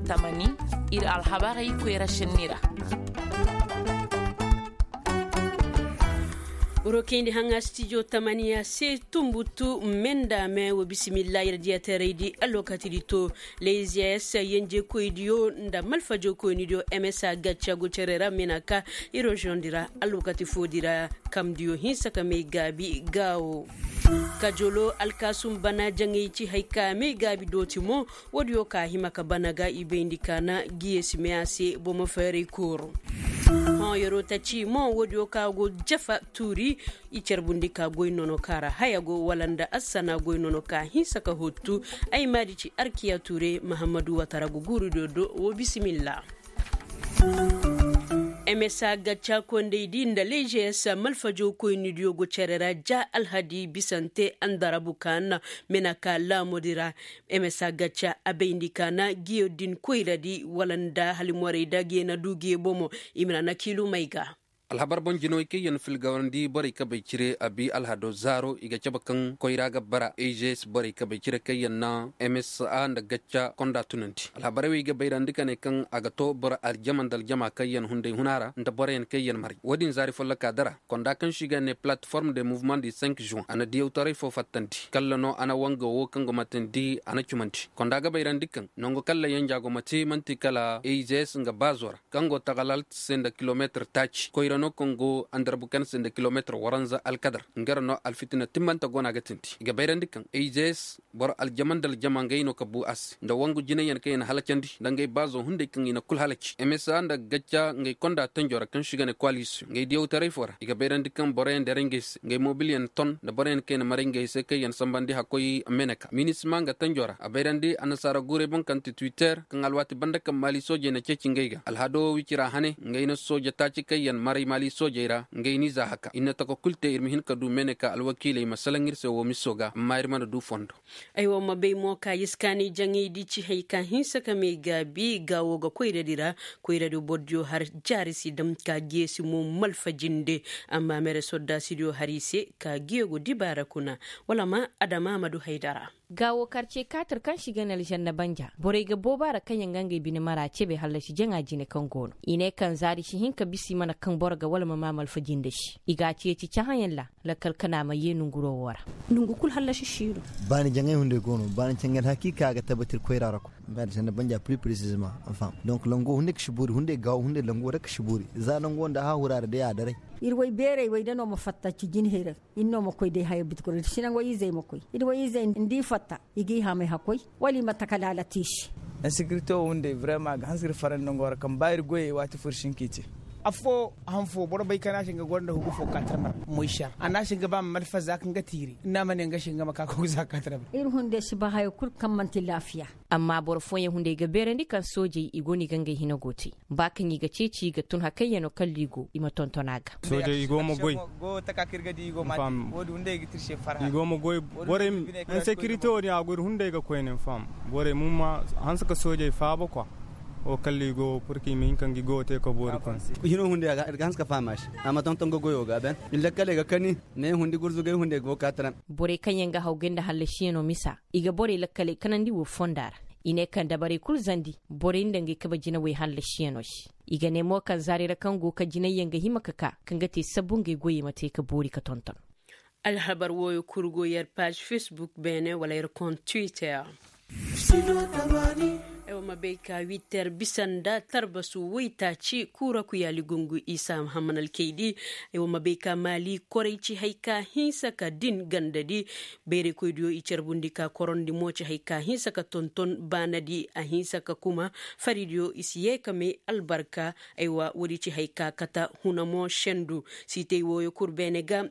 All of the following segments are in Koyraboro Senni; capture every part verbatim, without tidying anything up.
Tamani, ir alhabarey koyra šenni ra. Woro kayndi haŋa stijo tamaniya se tumbutu, menda me wo bisimilla ir diyateraydi alwakatidi to. Leziyas yenjekoydiyo nda malfajokoynidiyo msa gacca go cere ra mena ka iroziyondi ra alwakati foodi ra. Kamdiyo hinsa ka may gaabi gaawo. Kajolo alkaasum bana jaŋay ci hay ka may gaabi dooti mo. Woodiyo ka hima ka bana ga i bayndi ka na giyeesi meya se bomo feeray kooro. Hõ yeroo taci mo woodiyo ka go jafa tuuri. I carbundi ka goy nono ka ra haya go wala nda assana goy nono ka hinsa ka hottu. Ay maadi ci arkiya tuure mahammadu watara go guurudiyo do wo bisimilla. Msa gacca kondaydi nda ležes malfajokoynidiyo go cere ra ja alhadi bisante andarabu ka na mena ka laamudi ra. Msa gacca a bayndi ka na giyo din koyradi wala nda halimorey da giyo na du giyo bomo. I ma na na kiilumey ga. Alhabar boŋ jinawey kaŋ yaŋ filgawandi borey kabey cire abi alhado zaaro i ga cabe kaŋ koyra ga bara ežes borey kabey cire kaŋ yaŋ na msa nda gacca konda tunandi alhabarey wey ga bayrandi ka ne kaŋ a ga to boro aljama nda aljama kaŋ yaŋ hunday huna ra nda boroyaŋ kaŋ yaŋ maray wo-din zaari folloka dara konda kaŋ se i ga ne platform de mouvement du cinq juin a na diyawtaray fo fattandi kalla no a na wanga wo kaŋ go matandi a na cumandi konda ga bayrandi kaŋ nangu kalla yanja go mate manti kala ežes nga baazo ra kaŋ go tagalaalt se nda kilomeetir taaci koyra no kaŋ go andarbukan se nda kilomeetir waranza alkadar nga ra no alfitina timmante go no a ga tindi i ga bayrandi kaŋ ežes boro aljama nda aljama ngey no ka bu a se nda wangu jinayyaŋ kaŋ i na halacandi nda ngey baazo hunday kaŋ i na kul halaci msa nda gacca ngey konda tanjo ra kaŋ se i ga ne koalisiyoŋ ngey diyawtaray fo ra i ga bayrandi kaŋ boroyaŋ deray ngey se ngey mobilyaŋ ton nda boroyaŋ kaŋ i na maray ngey se kaŋ yaŋ sambandi hakkoy meneka minisma nga tanjo ra a bayrandi annasaara guuray boŋ kaŋ ti twitter kaŋ alwaati banda kaŋ maali soojey na ceeci ngey ga alhado wicira hane ngey na sooja taaci kaŋ yaŋ maray maali soojey ra ngey n'i za haka ir na tako kul te ir ma hin ka du mene ka alwakiiley ma salaŋ ir se woo miso ga amma ir mana du fondo. Aywa ma bay mo ka iskaani jaŋaydi ci hay ka hinsa ka may gaabi gaawo ga koyradi ra. Koyradi bordiyo har jaari si dam ka geesi mo malfa jinde. Amma mere soddaasidiyo har i se ka geego dibaara kuna wala ma adama ma du haydara. Gaawo karce kaatir kaŋ si ga ne alžanna banja borey ga booba ra kaŋ yaŋ ga ngey bine mara cebe hallasi jaŋa jine kaŋ go no i ne kaŋ zaari si hin ka bisa i mana kaŋ boro ga wala ma maa malfa jinde se i ga a ceeci cahãyaŋ ra. Lakkal kana ma yee nonguro wo ra. Nongu kul hallasi si no. Baani jaŋay hunday go no baani caŋay alhakiika a ga tabatir koyra ra koy. Baani sanda banja piri piri si zama. Donk lango hunday ka si boori hunday gaawo hunday lango ra ka si boori za nango nda hahura ra day a daray. Ir way beeray way da no ma fatta ci jinhay ra. Ir no ma koy day haya biti kul ir si nango izey ma koy ir way izey nda i fatta. I g'i hamay hakkoy wala i ma taka laala te i se. Insekirite wo hunday brema a ga hanse ir farandi nango ra kaŋ ba ir goyey waati fo ir si hin k'i te. Affoo han fo boro bay kaŋ a na se nga goro nda hugu fo ka tarmar moy se a ra a na se nga ba ma malfaza kaŋ ga tiiri na ma ne nga se nga ma ka kogu za ka tarmar. Ir hunday si ba hayo kul kaŋ man'ti laafiya. Amma boro fooyaŋ hunday ga beerandi kaŋ soojey i go no i ga ngey hina go te. Ba kaŋ i ga ceeci i ga tun hakayyaŋo kalla i go i ma tonton a ga. Soojey i go ma goy. I go ma goy. Borey insekirite wo-din a go ir hunday ga koyne fam. Borey ma ma hanse ka soojey faaba kwa. Wo kalla i go purka i ma hin ka ngi go te ka boori koyne. Hino hunday ir ga hanse ka faham a se. A ma tonton ga goyo ga ben. Ni lakkaley ga kani. Ne hundi gurzugay hunday go ka taran. Borey kaŋ yaŋ ga haw gay nda hallasiyaŋo misa. I ga borey lakkaley kanandi wo fonda ra. I ne kaŋ dabarey kul zandi. Borey nda ngey kabe jinawey hallasiyaŋo se. I ga ne mo kaŋ zaari ra kaŋ go ka jinayyaŋ ga hima ka ka kaŋ ga te sabbu ngey goyey ma te ka boori ka tonton. Alhabar wooyo kul go yer paaž fesbuk beene wala yer kont twitter. Ay wa ma bay ka witter bisa nda tarbasu woytaaci kuura kuyaali gungu isa hamman alkaydi. Ay wa ma bay ka maali koray ci hay ka hinsa ka din gandadi. Bayray koydiyo i carbundi ka korondi mo ci hay ka hinsa ka tonton baanadi a hinsa ka kuma. Faridiyo i si yee ka may albarka. Aywa woodi ci hay ka kata huna mo sendu. Siitey wooyo kul beene ga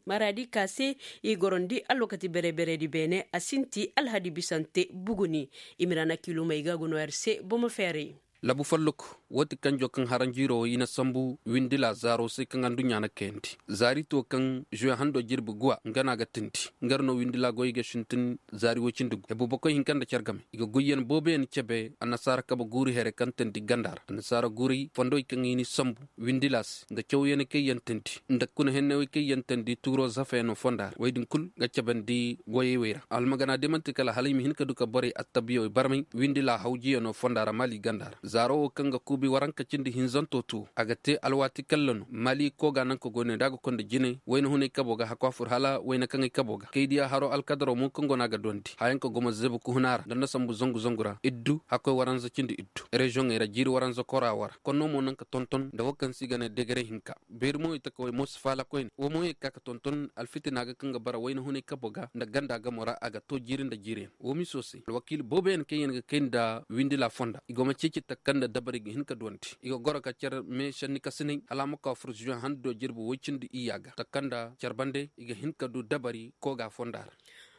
maraadi ka se i gorondi alwakati bere-beredi beene a sinti alhadi bisante buguni. Imirana kilomey ga go no yer se bomo feeray. Labu folloku, woo ti kanjo kaŋ haranjiiroo i na sambu windila zaaroo se kaŋ adduɲɲa na kayandi. Zaari too kaŋ žuwe hando jirbi guwa nga no a ga tindi. Nga ra no windila goyey ga sintin zaari woy cindi gu hebu bokoy hinka nda care game i ga goyyaŋ booboyaŋ cebe annasaara kabe guuri here kaŋ tandi ganda ra annasaara guuray fondowey kaŋ i n'i sambu windila se nda cawyaŋ kaŋ yaŋ tandi nda kuna hennawey kaŋ yaŋ tandi tuuroo zafeyaŋo fonda ra wey din kul ga cabandi goyey wey ra almagana day man'ti kala hala i ma hin ka du ka borey attabiyawey barmay windila hawjiyaŋo fonda ra maali ganda ra zaaro wo kaŋ ga kuubi waranka cindi hinzanto tuwo a ga te alwaati kalla no maali kooga naŋ ka goy ne da a ga konda jine wayna hunay kabo ga hakku a fur hala wayna kaŋay kabo ga kaydiya haro alkadaro mo kaŋ go no a ga duwandi hayaŋ ka gumo zeebu kuhuna ra nda nda sambu zangu zangu ra iddu hakkoy waranza cindi iddu reziyoŋey ra jiiri waranza kora wara konno mo naŋ ka tonton nda wo kaŋ se i ga ne degere hinka beeri mo i taka way mo si faala koyne wo mo ye ka ka tonton alfitina ga kaŋ ga bara wayna hunay kabo ga nda ganda gamo ra a ga to jiiri nda jiiriyaŋ wo miso se alwakiili booboyaŋ kaŋ yaŋ ga kay nda windila fonda i go ma ceeci takanda dabari ga hin ka duwandi i ga goro ka care me senni kasinay hala a ma ka fur zuwe hando jirbi woy cindi iyya ga takanda care bande i ga hin ka du dabari kooga fonda ra.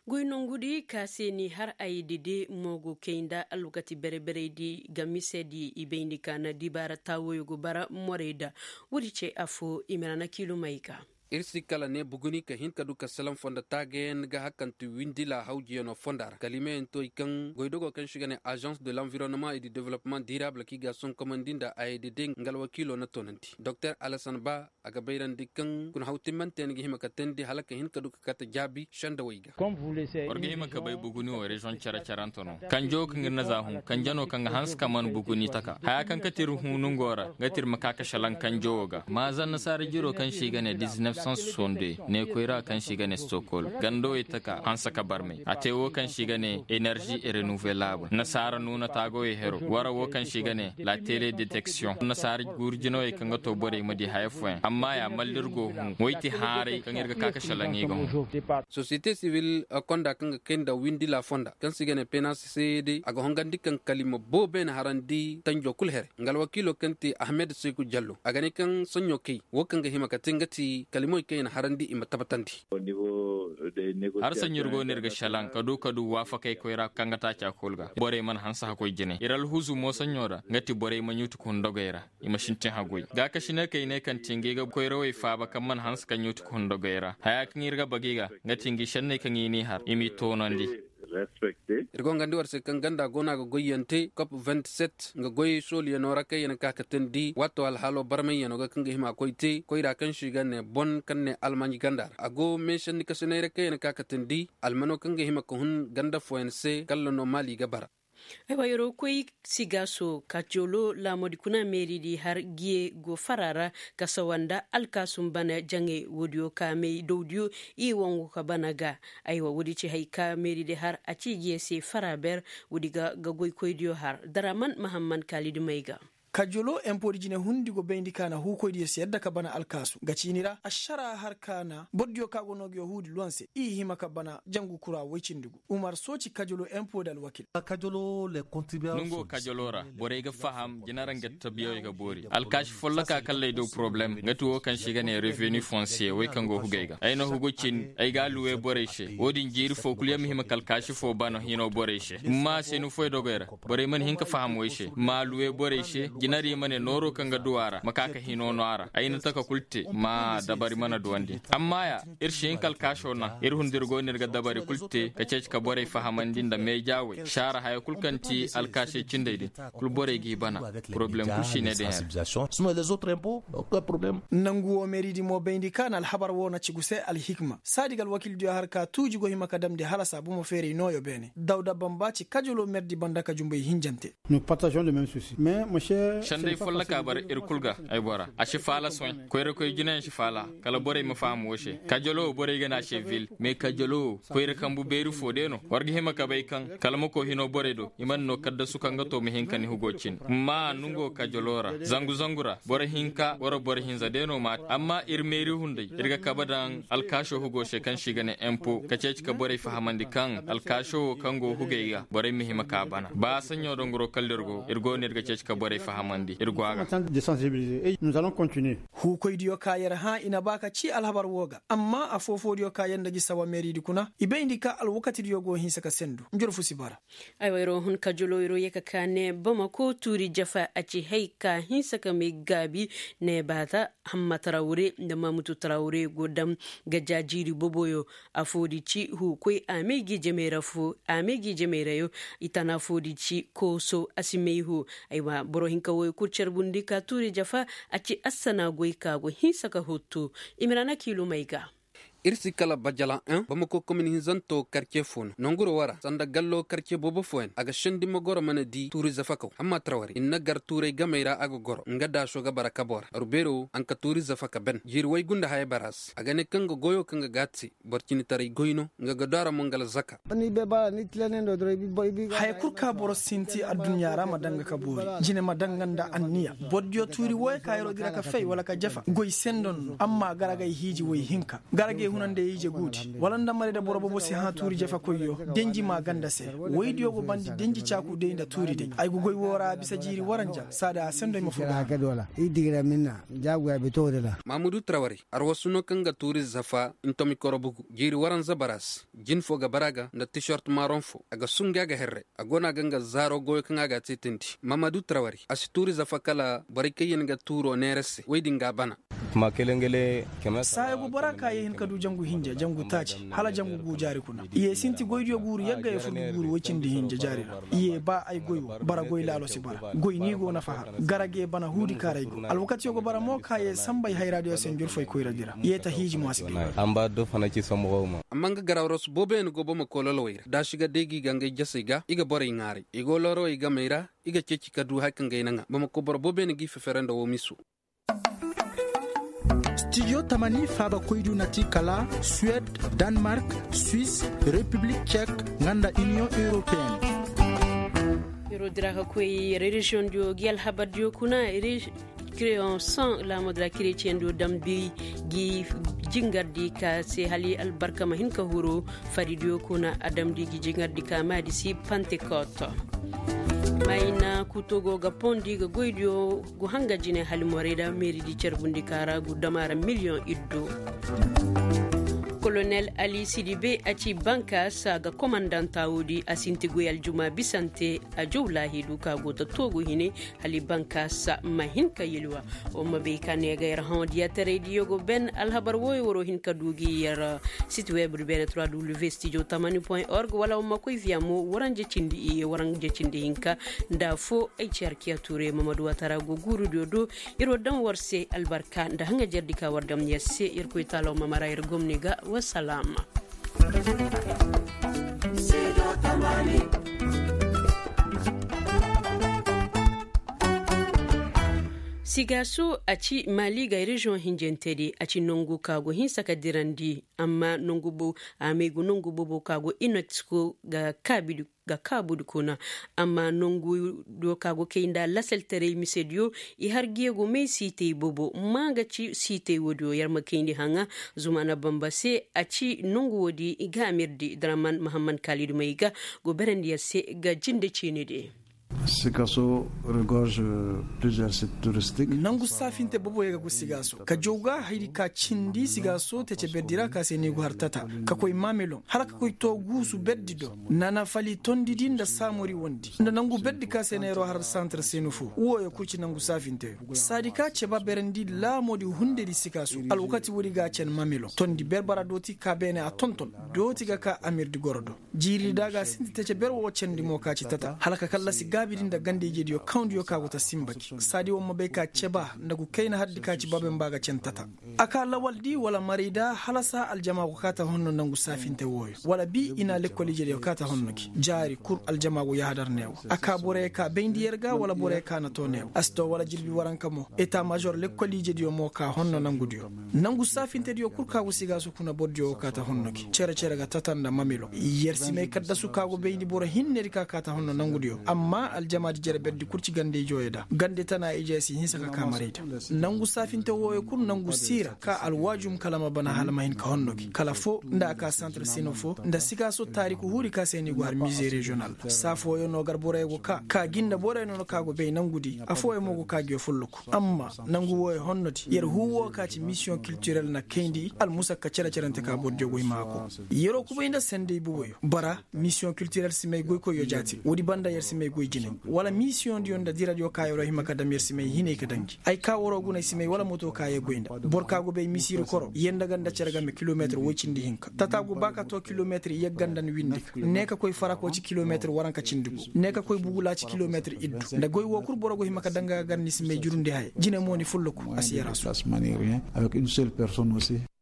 Goy nongudi ka se ni har aydi de mo go kay nda alwakati bere-bereydi ga misedi i bayndi ka na dibaara taawoyo go bara morey da woodi ce affo i ma ra na kiilumey ga. Ir si kala ne buguni ka hin ka du ka salaŋ fondo taagayaŋ ga hakanti windila hawjiyaŋo fonda ra kalimeyaŋ to i kaŋ goydogo kaŋ se i ga ne agence de l'environnement et du développement durable kaŋ i ga a sonkomandi nda aydi de nga alwakiilo na toonandi doktor alasan ba a ga bayrandi kaŋ kuna haw timmanteyaŋ ga hima ka teendi hala ka hin ka du ka kate jaabi sendawey ga. War ga hima ka bay buguni wo reziyoŋ cere-cerante no kanjo kaŋ ir na za hun kanje no kaŋ ga hanse ka man buguni taka haya kaŋ kate ir hun nungo ra nga ti ir ma ka ka salaŋ kanjo wo ga maaza annasaara jiro kaŋ se i ga ne diznef sans sonde ne koyra kaŋ se i ga ne stokol gandawey taka hanse ka barmay a te wo kaŋ se i ga ne enerzi renouvelable annasaara nuuna taagawey hero wara wo kaŋ se i ga ne la tele detection annasaara guuru jinawey kaŋ ga to borey ma di haya fooyaŋ amma ya malla ir go hun way ti haaray kaŋ ir ga ka ka salaŋ i ga hun. Sosiyete sibil konda kaŋ ga kay nda windi la fonda kaŋ se i ga ne penasi se day a ga hongandi kaŋ kalima boobo yaŋ harandi tanjo kul here nga alwakiilo kaŋ ti ahmed seku jallo a ga ne kaŋ saɲɲo kay wo kaŋ ga hima ka te nga ti kalimoy kaŋ yaŋ harandi i ma tabbatandi. Har saɲɲo ir go no ir ga šelaŋ ka du ka du waafakey koyra kaŋ ga taaca kul ga borey mana hanse hakkoy jine ir alhuzu mo saɲɲo ra nga ti borey ma ɲuutu ka hun dogey ra i ma sintin haggoy gaakasiney kaŋ i ne kaŋ ti ngey ga koyrawey faaba kaŋ mana hanse ka ɲuutu ka hun dogey ra haya kaŋ ir ga bagey ga nga ti ngi šenney kaŋ i n'i har i m'i toonandi. Ir go nga nda war se kaŋ ganda go no a ga goyyaŋ te kop vingt-sept nga goyey sooliyaŋo ra kaŋ yaŋ ka ka teendi waato alhaalo barmayyaŋo ga kaŋ ga hima koy te koyra kaŋ se i ga ne bon kaŋ ne almanj ganda ra a go meesanni kasiney ra kaŋ yaŋ ka ka teendi almano kaŋ ga hima ka hun ganda fooyaŋ se kalla no maali ga bara. Aywa yeroo koy sigaaso kacolo laamodi kuna meeridi har giye go fara ra ka sawa nda alkaasum bana jaŋey woodiyo ka may dawdiyo i wangu ka bana ga. Aywa woodi ci hay ka meeridi har a ci giye se fara ber woodi ga ga goykoydiyo har daraman mahamman kaalidi may ga. Kajolo empoodi jine hundi go bayndi ka na huukoydiyo se yadda ka bana alkaasu nga ciini ra ašara har ka na bordiyo ka go no ga yo huudi luwan se i hima ka bana jangu kura woy cindi gu. Umar sooci kajolo empoodi alwakil. Nungo kajolo ra borey ga faham jinara nga tabiyawey ga boori alkaasi folloka kalley do poroblem nga ti wo kaŋ se i ga ne revenu fonsiye wey kaŋ go hugey ga ay na hugu cin ay ga a luwe borey se wo-din jiiri fo kul yaŋ ma hima ka alkaasi fo bana hino borey se amma a se ni foy dogey ra borey mana hin ka faham wey se ma a luwe borey se jinari ma ne nooro kaŋ ga du a ra ma ka ka hino no a ra ay na taka kul te ma dabari mana duwandi amma ya ir si hin ka alkaaso naŋ ir hunda ir go no ir ga dabari kul te ka ceeci ka borey fahamandi nda meejaawey saara haya kul kaŋ ti alkaasey cindey din kul borey g'i bana poroblem kul si ne din. Nangu wo meeridi mo bayndi ka na alhabar wo na ci gu se alhikma saadi ga alwakildiyo har ka tuuji go hima ka damndi hala saabu ma feeray nooyo beene dawda bamba ci kajolo meerdi banda ka jumbay hinjante. Sendey folloka bara ir kul ga ay bora a si faala soy koyra koy jinayaŋ si faala kala borey ma faham wo se kajolo wo borey ga ne a se vil mais kajolo wo koyra kambu beeri fo day no war ga hima ka bay kaŋ kala ma koy hino borey do i mana no kaddasu kaŋ ga to ma hin ka ni hugo cin amma nungo kajolo ra zangu zangu ra boro hinka wara boro hinza day no maati amma ir meeri hunday ir ga kabe daŋ alkaasho hugo se kaŋ se i ga ne empo ka ceeci ka borey fahamandi kaŋ alkaasho wo kaŋ go hugey ga borey ma hima ka bana ba saɲɲo dongoro kala ir go ir go no ir ga ceeci ka borey faham. Huukoydiyo ka yer hã i na ba ka cii alhabar woo ga amma afoo-foodiyo ka yer nda gi sawa meeridi kuna i bayndi ka alwakatidiyo go hinsa ka sendu njurfu si bara. Aywa yeroo hun ka joloo yeroo yee ka kaa ne bamako tuuri jafa a ci hay ka hinsa ka may gaabi. Ne baata hamma tarawre nda mamutu tarawre go dam ga jaa jiiri boboyo. Afoo di ci huukoy a may gi jamey ra foo a may gi jamey ra yo. I tana foo di ci kooso a si may hoo. Aywa boro hinka wooyo kul carbundi ka tuuri jafa a ci assana goy ka go hinsa ka hotto. Imiraana kiilumey ga. Ir si kala bajalan en bamako komini hinzanto karce foo no nonguro woo ra sanda gallo karce boobo fooyaŋ a ga sendi ma goro mana di tuuri zafakaw hamma tarawari ir na gar tuuray gamey ra a ga goro nga daaso ga bara kaboo ra aru beero a na ka tuuri zafaka ben jiiri way gunda haya bara se a ga ne kaŋ ga goyo kaŋ ga gaati se boro cinitaray goy no nga ga du a ra mo nga alzaka. Haya kul ka boro sinti adduɲɲa ra ma daŋ ga ka boori jine ma daŋ ga nda anniya borodiyo tuuri wooyo ka yeroo dira ka fay wala ka jafa goy sendo no amma garagay hiiji woy hinka garagay hunanday ije guudi wala nda marayda boro boobo si hã tuuri jafakoyyo denji maa ganda se woydiyo go bandi denji caaku day nda tuuri day ay go goy woo ra a bisa jiiri waranja saada a sendo ay ma fur ga hara. Mamudu tarawari arwasu no kaŋ ga tuuri zafa ntomi koro bugu jiiri waranza bara se jin foo ga bara ga nda tishort maaron foo a ga sunga ga herre a go no a ga nga zaaro goyo kaŋ a ga a teetandi mamadu tarawari a si tuuri zafa kala borey kaŋ yaŋ ga tuuro neera se woy din ga a bana. Saaya go bora ka ye hin ka du jangu hinja jangu taaci hala jangu gu jaari kuna i ye sinti goydiyo guuru yagga ye fur ga guuru woy cindi hinja jaari ra i ye ba ay goy wo bara goy laalo si bara goy ni go nafa har garage bana huudi kaaray go alwakatiyo go bara mo ka ye sambay hayraadiyo se njurfay koyradi ra i ye ta hiiji mo a si bay. Amma nga garaw ra su booboyaŋ go bamako lolowey ra daasi ga day ga i ga ngay jasey ga i ga borey ŋaaray i go lorowey gamey ra i ga ceeci ka du hari kaŋ ga ay naŋa bamako boro booboyaŋ g'i fefere nda woo miso. Stijo tamani faabakoydu na ti kala suwed, danmark, swis, repiblik cek, nga nda iniyoŋ europeen. Yeroo dira ka koy reziyoŋ diyo gi alhabar diyo kuna. Kireyoŋ soŋ laamo dira kireciyeŋ diyo damndi gi jingardi ka se hala albarka ma hin ka huru. Faridiyo kuna a damndi gi jingardi ka maadi si pantekot. Mayna kuto go ga pondi ga goydiyo gu hanga jine hala morayda meeridi carbundi ka ra gu dama ra miliyoŋ iddo. Kolonel ali sidibe a ci bankaas a ga komandanta woodi a sinti goy aljuma bisante. A jaw laahidu ka go ta toogu hine hala bankaas ma hin ka yelwa. Wa ma bay ka ne ga yer hãwadiya taray diyo go ben alhabar wooyo waroo hin ka du gi yer siti web du beene trois w studio tamani point org wala wa ma koy viya mo waranje cindi iye waranje cindi hinka. Nda foo ay ci arkiya tuure mamadu watara go guurudiyo do. Yer war daŋ war se albarka nda haŋajerdi ka war daŋ yer se yer koy taalaw ma mara yer gomni ga. Wasalaama. Sigaaso a ci maali ga reziyoŋ hinjantedi a ci nongu ka go hinsa ka dirandi. Amma nongu boobo a may go nongu boobo ka go inesko ga kaabidi kuna. Amma nongu do ka go kay nda lasaltaray misediyo i har ga ye go may siitay boobo ma ga ci siitay woodiyo yer ma kayndi haŋa. Zumana bamba se a ci nongu woodi i ga amirdi draman mahammad kaalidu may ga go berandi yer se ga jinde ciini de. Sikaaso regorge plusieurs sites touristiques. Nangu saafinte boboyo ga go sigaaso ka jaw ga hayri ka cindi sigaaso tece berdi ra ka se ni go har tata ka koy mameloŋ hala ka koy too guusu berdi do. Nana fali tondidi nda saamori wondi nda nangu berdi ka se neeroo har santre senu fo wooyo kul ci nangu saafinteyo saadi ka ceba berandi laamoodi hundedi sikaaso alwakati woodi ga a cen mameloŋ tondi berbara dooti ka beene a tonton dooti ga ka amirdi goro do. Jiiri da ga sinti tece ber wo candi mo ka ci tata hala ka kallasi gaabidi nda ganda-ijediyo kawndiyo ka go ta sinba gi saadi wo ma bay ka ceba nda gu kayna hardi ka ci baben ba ga cen tata. A ka lawaldi wala marayda halasa aljama go ka ta honno nangu saafinte wooyo wala bi i na lekkol-ijediyo ka ta honno gi jaari kul aljama go yahadar neewo a ka boroyo ka bayndi yer ga wala boroyo ka na too neewo a si too wala jirbi waranka mo eta major lekkol-ijediyo mo ka honno nangudiyo. Nangu saafintediyo kul ka go sigaasu kuna bordiyo wo ka ta honno gi cere-cere ga tata nda mamilo yer si may kaddasu ka go bayndi boro hinnedi ka ka ta honno nangudiyo amma Jamaadi jere berdi kul ci gande ijooyo da gande tana ijooyo si hinsa ka kaa maray da. Nangu saafinte wooyo kul nangu siira ka alwaajum kala ma bana hala ma hin ka honno gi kala foo nda a kaa santar sino foo nda sikaaso taariku huuri ka se ni go har mize reziyonal. Saa fooyo no gar boroyo go kaa ka gi nda boroyo no no ka go bay nangudi. Affooyo mo go kaa ngiyo folloku. Amma nangu wooyo honnodi yer huu woo ka ci misiyoŋ kiltirel na kayndi almusakka cere-cerente ka bordiyo go hima a koo. Yeroo kubay nda senday boboyo bara misiyoŋ kiltirel si may goykoyyo jaati woodi banda yer si may goy jinay wala misiyoŋdiyo nda diradiyo ka yeroo hima ka dam yer si may hinay ka danji ay kaa waroo guna ay si may wala moto ka yee goy nda boro ka go bay misiiri koro yer nda ganda cere game kilometir woy cindi hinka tata go ba ka too kilometir yer ganda ni windi ka ne ka koy farako ci kilometir waranka cindi go ne ka koy bugula ci kilometir iddu nda goy woo kul boro go hima ka danga gar ni si may jurundi haya jine mo ni fulluku a si yar a su.